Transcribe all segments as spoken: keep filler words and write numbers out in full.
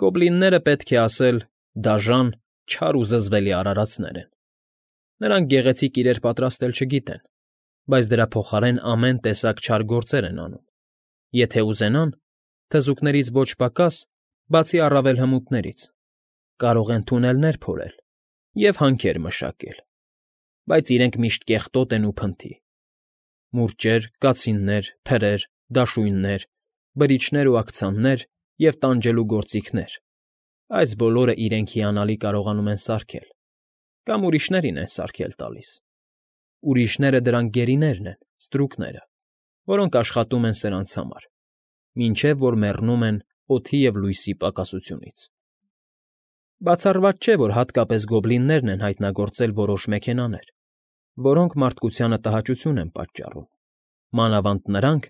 Գոբլինները, պետք է ասել, դաժան, չար ու զզվելի արարածներ են. նրանք գեղեցիկ իրեր պատրաստել չգիտեն, բայց դրա փոխարեն ամեն տեսակ չար գործեր են անում. եթե ուզենան, թզուկներից ոչ պակաս, բացի առավել հմուտներից, կարող են թունելներ փորել և հանքեր մշակել, բայց իրենք միշտ կեղտոտ են ու փնթի. մուրճեր, կացիններ, թրեր, դաշույններ, բրիչներ ու աքցաններ և տանջելու գործիքներ, այս բոլորը իրենք հիանալի կարողանում են սարքել, կամ ուրիշներին են սարքել տալիս. ուրիշները դրանք գերիներն են, ստրուկները, որոնք աշխատում են սրանց համար, մինչև որ մեռնում են օդի և լույսի պակասությունից։ Բացառված չէ, որ հատկապես գոբլիններն են հայտնագործել որոշ մեքենաներ, որոնք մարդկությանը տհաճություն են պատճառում, մանավանդ նրանք,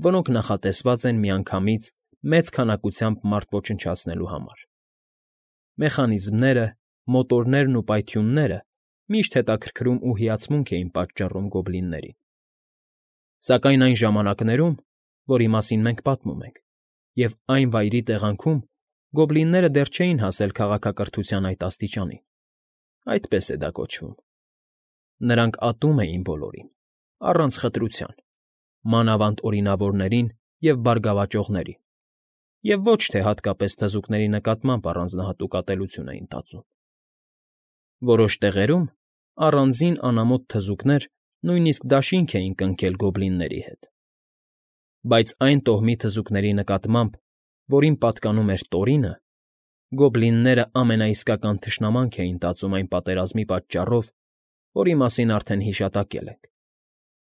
որոնք նախատեսված են միանգամից մեծ քանակությամբ մարդ ոչնչացնելու համար։ Մեխանիզմները, մոտորներն ու պայթյունները միշտ հետաքրքրում ու հիացմունք էին պատճառում գոբլիններին։ Սակայն այն ժամանակներում, որի մասին մենք պատմում ենք, և այն վայրի տեղանքում գոբլինները դեռ չէին հասել քաղաքակրթության այդ աստիճանին, այդպես է դա կոչվում։ Նրանք ատում էին բոլորին, առանց խտրության, մանավանդ օրինավորներին և բարգավաճողներին, և ոչ թե հատկապես թզուկների նկատմամբ առանձնահատուկ ատելություն էին տածում։ Որոշ տեղերում առանձին անամոթ թզուկներ նույնիսկ դաշինք էին կնքել գոբլինների հետ։ Բայց այն տոհմի թզուկների նկատմամբ, որին պատկանում էր Տորինը, գոբլինները ամենաիսկական թշնամանք էին տածում այն պատերազմի պատճառով, որի մասին արդեն հիշատակել ենք,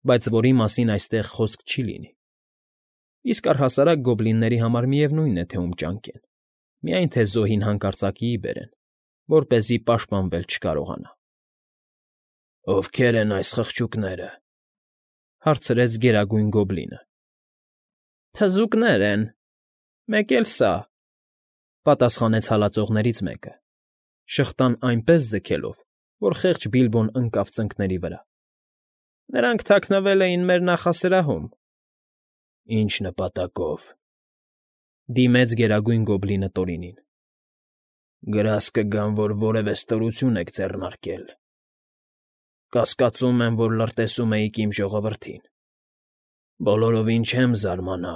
բայց որի մասին այստեղ խոսք չի լինի։ Իսկ առհասարակ գոբլինների համար միևնույն է, թե ում ճանկեն, միայն թե զոհին հանկարծակիի բերեն, որպեսզի պաշտպանվել չկարողանա։ ֊ Ովքե՞ր են այս խղճուկները,֊ հարցրեց Գերագույն Գոբլինը։ ֊ Թզուկներ են, մեկ էլ սա,֊ պատասխանեց հալածողներից մեկը, շղթան այնպես ձգելով, որ խեղճ Բիլբոն ընկավ ծնկների վրա։ ֊ Նրանք թաքնվել էին մեր նախասրահում։ ֊ Ի՞նչ նպատակով,֊ դիմեց Գերագույն Գոբլինը Տորինին։ ֊ Գրազ կգամ, որ որևէ ստորություն եք ձեռնարկել։ Կասկածում եմ, որ լրտեսում էիք իմ ժողովրդին։ Բոլորովին չեմ զարմանա,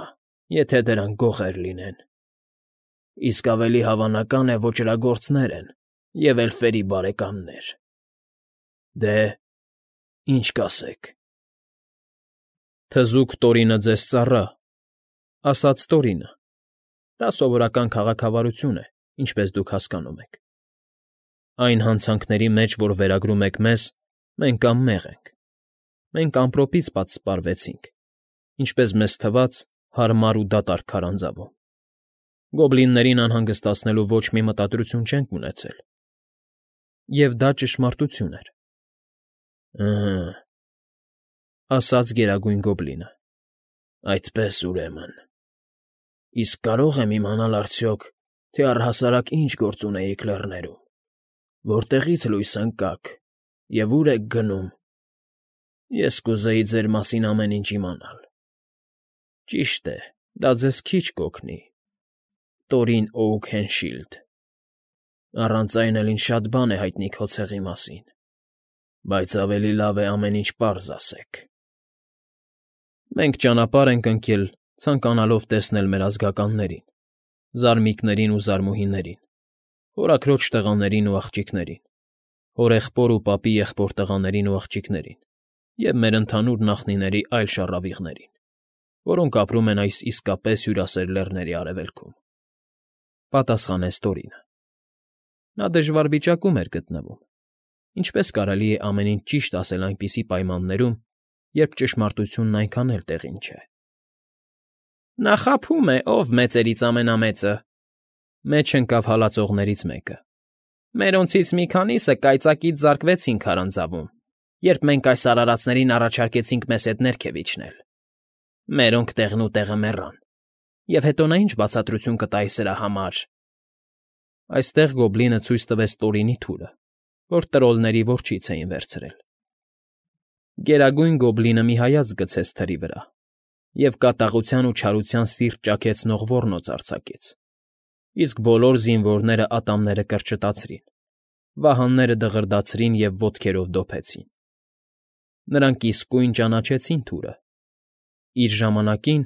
եթե դրանք գողեր լինեն, իսկ ավելի հավանական է ոճրագործներ են և էլֆերի բարեկամներ։ Դե, ինչ կասեք։ ֊ Թզուկ Տորինը ձեզ ծառա,֊ ասաց Տորինը։ Դա սովորական քաղաքավարություն է, ինչպես դուք հասկանում եք։ Այն հանցանքների մեջ, որ վերագրում եք մեզ, մենք անմեղ ենք։ Մենք ամպրոպից պատսպարվեցինք, ինչպես մեզ թվաց, հարմար ու դատարկ քարանձավում։ Գոբլիններին անհանգստացնելու ոչ մի մտադրություն չենք ունեցել։ Եվ դա ճշմարտություն էր։ ֊ Ըհը,֊ ասաց Գերագույն Գոբլինը,֊ այդպես ուրեմն։ Իսկ կարո՞ղ եմ իմանալ արդյոք, թե առհասարակ ինչ գործ ունեիք լեռներում, որտեղից լույս ընկաք և ուր եք գնում։ Ես կուզեի ձեր մասին ամեն ինչ իմանալ։ Ճիշտ է, դա ձեզ քիչ կօգնի, Տորին Օուքենշիլդ, առանց այն էլ ինձ շատ բան է հայտնի քո ցեղի մասին, բայց ավելի լավ է ամեն ինչ պարզ ասեք։ ֊ Մենք ճանապարհ ենք ընկել, ցանկանալով տեսնել մեր ազգականներին, զարմիկներին ու զարմուհիներին, հորաքրոջ տղաներին ու աղջիկներին, հորեղբոր ու պապի եղբոր տղաներին ու աղջիկներին և մեր ընդհանուր նախնիների այլ շառավիղներին, որոնք ապրում են այս իսկապես հյուրասեր լեռների արևելքում,֊ պատասխանեց Տորինը։ Նա դժվար վիճակում էր գտնվում. ինչպես կարելի է ամեն ինչ ճիշտ ասել այնպիսի պայմաններում, երբ ճշմարտությունն այնքան էլ տեղին չէ։ ֊ Նա խաբում է, ով մեծերից ամենամեծը,֊ մեջ ընկավ հալածողներից մեկը։ ֊ Մերոնցից մի քանիսը կայծակից զարկվեցին քարանձավում, երբ մենք այս արարածներին առաջարկեցինք մեզ հետ ներքև իջնել։ Մերոնք տեղնուտեղը մեռան, և հետո նա ինչ բացատրություն կտա այս սրա համար։ Այստեղ գոբլինը ցույց տվեց Տորինի թուրը, որ տրոլների որջից էին վերցրել։ Գերագույն Գոբլինը մի հայացք գցեց թրի վրա և կատաղության ու չարության սիրտ ճաքեցնող ոռնոց արձակեց։ իսկ բոլոր զինվորները ատամները կրճտացրին, վահանները դղրդացրին և ոտքերով դոփեցին։ Նրանք իսկույն ճանաչեցին թուրը. իր ժամանակին,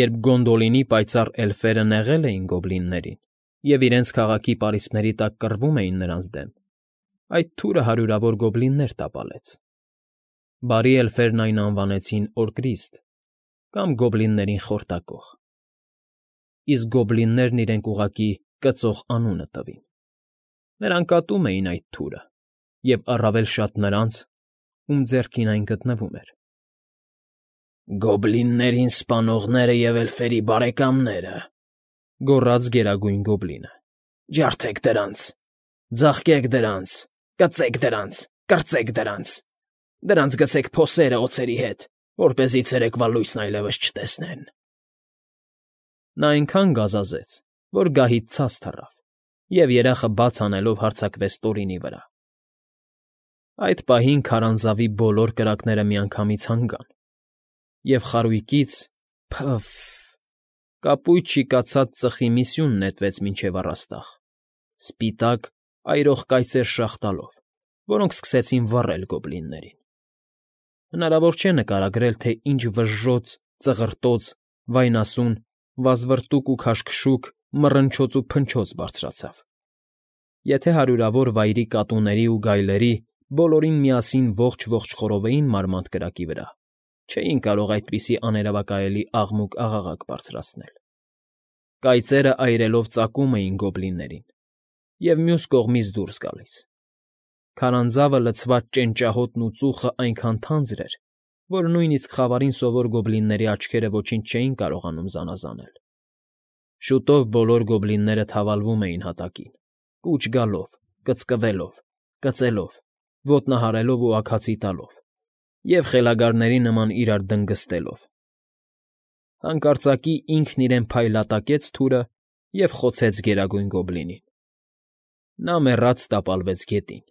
երբ Գոնդոլինի պայծառ էլֆերը նեղել էին գոբլիններին և իրենց քաղաքի պարիսպների տակ կռվում էին նրանց դեմ, այդ թուրը հարյուրավոր գոբլիններ տապալեց։ Բարի էլֆերն այն անվանեցին Օրկրիստ կամ Գոբլիններին Խորտակող, իսկ գոբլիններն իրենք ուղղակի Կծող անունը տվին։ Նրանք ատում էին այդ թուրը և առավել շատ նրանց, ում ձեռքին այն գտնվում էր։ «Գոբլիններին սպանողները և էլֆերի բարեկամները,֊ գոռաց Գերագույն Գոբլինը,֊ ջարդեք դրանց, ձաղկեք դրանց, կծեք դրանց, կրծեք դրանց, դրանց գցեք փոսերը օձերի հետ, որպեսզի ցերեկվա լույսն այլևս չտեսնեն»։ Նա այնքան գազազեց, որ գահից ցած թռավ և, երախը բաց անելով, հարձակվեց Տորինի վրա։ Այդ պահին քարանձավի բոլոր կրակները միանգամից հանգան, և խարույկից փը՜ֆ… կապույտ շիկացած ծխի մի սյուն նետվեց մինչև առաստաղ, սպիտակ, այրող կայծեր շաղ տալով, որոնք սկսեցին վառել գոբլիններին։ Հնարավոր չէ նկարագրել, թե ինչ վժժոց, ծղրտոց, վայնասուն, վազվռտուք ու քաշքշուկ, մռնչոց ու փնչոց բարձրացավ։ Եթե հարյուրավոր վայրի կատուների ու գայլերի բոլորին միասին ողջ֊ողջ խորովեին մարմանդ կրակի վրա, չէին կարող այդպիսի աներևակայելի աղմուկ֊աղաղակ բարձրացնել։ Կայծերը այրելով ծակում էին գոբլիններին և մյուս կողմից դուրս գալիս։ Քարանձավը լցված ճենճահոտն ու ծուխը այնքան թանձր էր, որ նույնիսկ խավարին սովոր գոբլինների աչքերը ոչինչ չէին կարողանում զանազանել։ Շուտով բոլոր գոբլինները թավալվում էին հատակին, կուչ գալով, կծկվելով, կծելով, ոտնահարելով ու աքացի տալով և խելագարների նման իրար դնգստելով։ Հանկարծակի ինքն իրեն փայլատակեց թուրը և խոցեց Գերագույն Գոբլինին։ Նա մեռած տապալվեց գետին,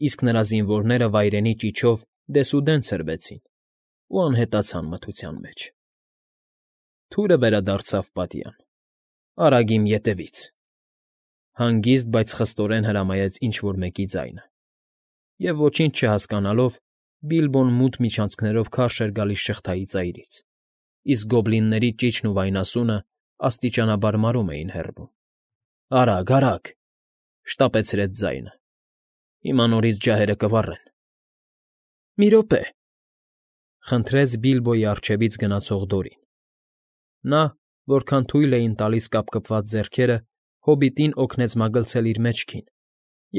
իսկ նրա զինվորները վայրենի ճիչով դեսուդեն ցրվեցին ու անհետացան մթության մեջ։ Թուրը վերադարձավ պատյան։ «Արագ իմ ետևից», հանգիստ, բայց խստորեն հրամայեց ինչ֊որ մեկի ձայնը, և ոչինչ չհասկանալով Բիլբոն մութ միջանցքներով քարշ էր գալիս շղթայի ծայրից, իսկ գոբլինների ճիչն ու վայնասունը աստիճանաբար մարում էին հեռվում։ «Արագ, արագ,֊ շտապեցրեց ձայնը,֊ հիմա նորից ջահերը կվառեն»։ «Մի րոպե,֊ խնդրեց Բիլբոյի առջևից գնացող Դորին։ Նա, որքան թույլ էին տալիս կապկպված ձեռքերը, հոբիտին օգնեց մագլցել իր մեջքին,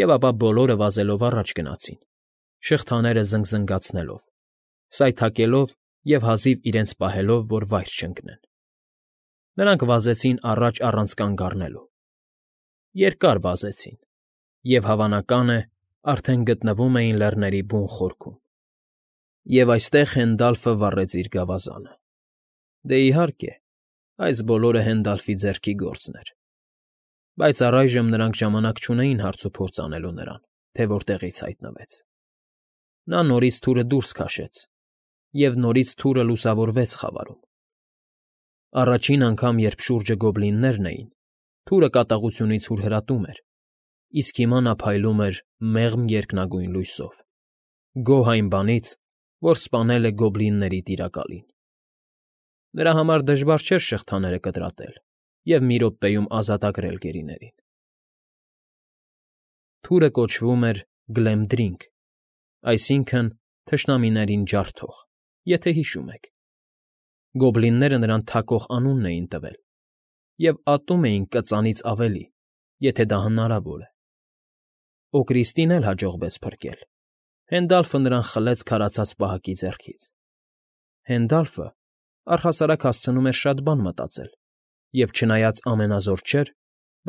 և ապա բոլորը վազելով առաջ գնացին, շղթաները զնգզնգացնելով, սայթաքելով և հազիվ իրենց պահելով, որ վայր չընկնեն։ Նրանք վազեցին առաջ առանց կանգ առնելու։ Երկար վազեցին և, հավանական է, արդեն գտնվում էին լեռների բուն խորքում։ Եվ այստեղ Հենդալֆը վառեց իր գավազանը։ Դե, իհարկե, այս բոլորը Հենդալֆի ձեռքի գործն էր։ Բայց առայժմ նրանք ժամանակ չունեին հարցուփորձ անելու նրան, թե որտեղից հայտնվեց։ Նա նորից թուրը դուրս քաշեց, և նորից թուրը լուսավորվեց խավարում։ Առաջին անգամ, երբ շուրջը գոբլիններն էին, թուրը կատաղությունից հուրհրատում էր, իսկ հիմա նա փայլում էր մեղմ երկնագույն լույսով, գոհ այն բանից, որ սպանել է գոբլինների տիրակալին։ Նրա համար դժվար չէր շղթաները կտրատել և մի րոպեում ազատագրել գերիներին։ Թուրը կոչվում էր Գլեմդրինգ, այսինքն՝ թշնամիներին ջարդող, եթե հիշում եք։ Գոբլինները նրան Թակող անունն էին տվել և ատում էին Կծանից ավելի, եթե դա հնարավոր է։ Օրկրիստին էլ հաջողվեց փրկել։ Հենդալֆը նրան խլեց քարացած պահակի ձեռքից։ Հենդալֆը առհասարակ հասցնում էր շատ բան մտածել և, չնայած ամենազոր չէր,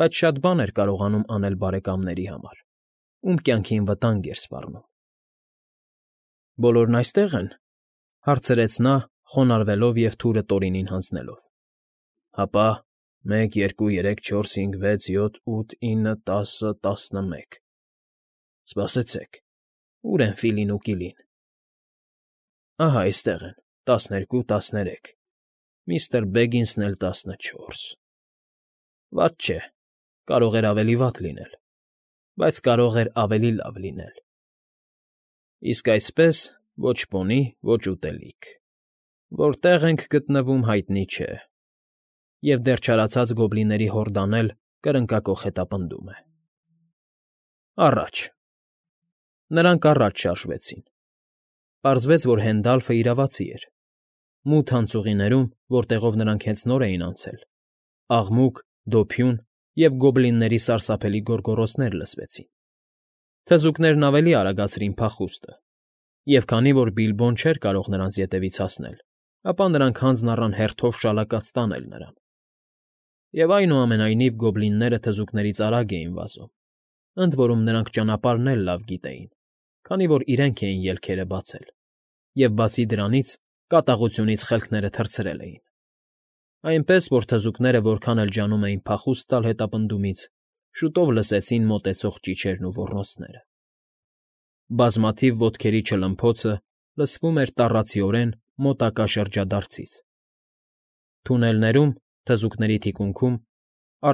բայց շատ բան էր կարողանում անել բարեկամների համար, ում կյանքին վտանգ էր սպառնում։ «Բոլորն այստե՞ղ են,֊ հարցրեց նա, խոնարհվելով և թուրը Տորինին հանձնելով։ «Հապա, մեկ, երկու, երեք, չորս, հինգ, վեց, յոթ, ութ, ինը, տասը, տասնմեկ… Սպասեցեք, ո՞ւր են Ֆիլին ու Կիլին։ Ահա այստեղ են, տասներկու, տասներեք, միստր Բեգինսն էլ տասնչորս… Վատ չէ, կարող էր ավելի վատ լինել, բայց կարող էր ավելի լավ լինել։ Իսկ այսպես ոչ պոնի, ոչ ուտելիք, որտեղ ենք գտնվում հայտնի չէ, և դեռ չարացած գոբլինների հորդան էլ կրնկակոխ հետապնդում է։ Առաջ… Նրանք առաջ շարժվեցին։ Պարզվեց, որ Հենդալֆը իրավացի էր։ Մութ անցուղիներում, որտեղով նրանք հենց նոր էին անցել, աղմուկ, դոփյուն և գոբլինների սարսափելի գոռգոռոցներ լսվեցին։ Թզուկներն ավելի արագացրին փախուստը, և քանի որ Բիլբոն չէր կարող նրանց ետևից հասնել, ապա նրանք հանձն առան հերթով շալակած տանել նրան։ Եվ այնուամենայնիվ գոբլինները թզուկներից արագ էին վազում, ընդ որում նրանք ճանապարհն էլ լավ գիտեին, քանի որ իրենք էին ելքերը բացել, և բացի դրանից կատաղությունից խելքները թռցրել էին։ Այնպես որ թզուկները որքան էլ ջանում էին փախուստ տալ հետապնդումից, շուտով լսեցին մոտեցող ճիչերն ու ոռնոցները։ Բազմաթիվ ոտքերի չլմփոցը լսվում էր տառացիորեն մոտակա շրջադարձից։ Թունելներում, թզուկների թիկունքում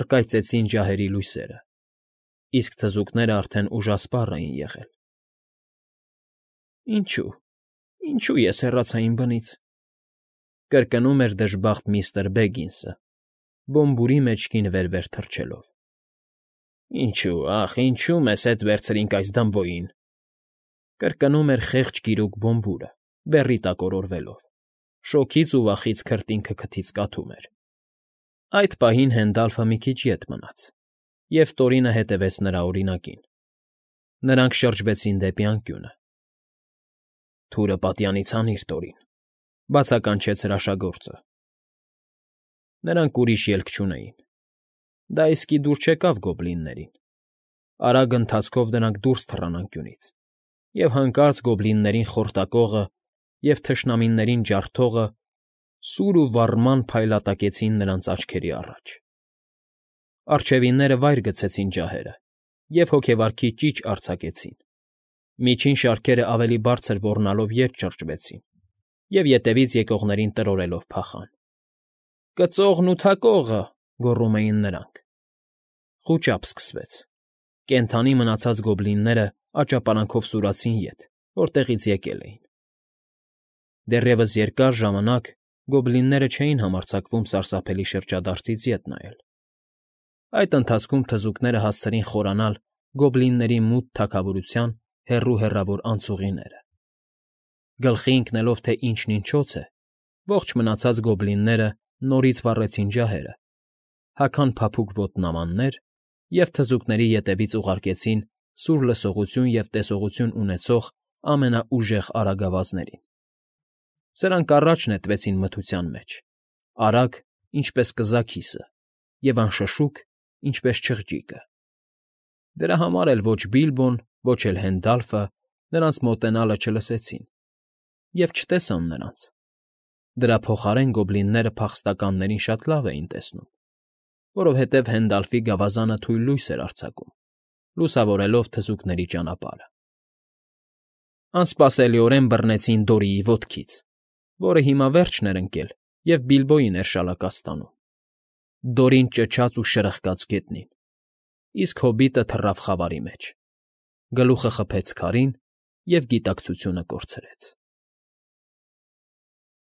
առկայծեցին ջահերի լույսերը, իսկ թզուկները արդեն ուժասպառ էին եղել։ Ինչո՞ւ, ինչո՞ւ ես հեռացա իմ բնից,֊ կրկնում էր դժբախտ միստր Բեգինսը, Բոմբուրի մեջքին վեր֊վեր թռչելով։ Ինչո՞ւ, ախ, ինչո՞ւ մեզ հետ վերցրինք այս դմբոյին,֊ կրկնում էր խեղճ գիրուկ Բոմբուրը, բեռի տակ օրորվելով, շոգից ու վախից քրտինքը քթից կաթում էր։ Այդ պահին Հենդալֆը մի քիչ ետ մնաց, և Տորինը հետևեց նրա օրինակին։ Նրանք շրջվեցին դեպի անկյունը։ Թուրը պատյանից հանիր, Տորին,֊ բացականչեց հրաշագործը։ Նրանք ուրիշ ելք չունեին։ Դա իսկի դուր չեկավ գոբլիններին։ Արագ ընթացքով նրանք դուրս թռան անկյունից, և հանկարծ գոբլիններին խորտակողը և թշնամիներին ջարդողը սուր ու վառման փայլատակեցին նրանց աչքերի առաջ։ Առջևինները վայր գցեցին ջահերը և հոգեվարքի ճիչ արձակեցին։ Միջին շարքերը ավելի բարձր ոռնալով ետ շրջվեցին և ետևից եկողներին տրորելով փախան։ «Կծողն ու Թակողը,֊ գոռում էին նրանք։ Խուճապ սկսվեց։ Կենդանի մնացած գոբլինները աճապարանքով սուրացին ետ, որտեղից եկել էին։ Դեռևս երկար ժամանակ գոբլինները չէին համարձակվում սարսափելի շրջադարձից ետ նայել։ Այդ ընթացքում թզուկները հասցրին խորանալ գոբլինների մութ թագավորության հեռու֊հեռավոր անցուղիները։ Գլխի ընկնելով, թե ինչն ինչոց է, ողջ մնացած գոբլինները նորից վառեցին ջահերը, հագան փափուկ ոտնամաններ և թզուկների ետևից ուղարկեցին սուր լսողություն և տեսողություն ունեցող ամենաուժեղ արագավազներին։ Սրանք առաջ նետվեցին մթության մեջ, արագ, ինչպես կզաքիսը, և անշշուկ, ինչպես չղջիկը։ Դրա համար էլ ոչ Բիլբոն, ոչ էլ Հենդալֆը նրանց մոտենալը չլսեցին և չտեսան նրանց։ Դրա փոխարեն գոբլինները փախստականներին շատ լավ էին տեսնում, որովհետև Հենդալֆի գավազանը թույլ լույս էր արձակում, լուսավորելով թզուկների ճանապարհը։ Անսպասելիորեն բռնեցին Դորիի ոտքից, որը հիմա վերջն էր ընկել և Բիլբոյին էր շալակած տանում։ Դորին ճչաց ու շրխկաց գետնին, իսկ հոբիտը թռավ խավարի մեջ, գլուխը խփեց քարին և գիտակցությունը կորցրեց։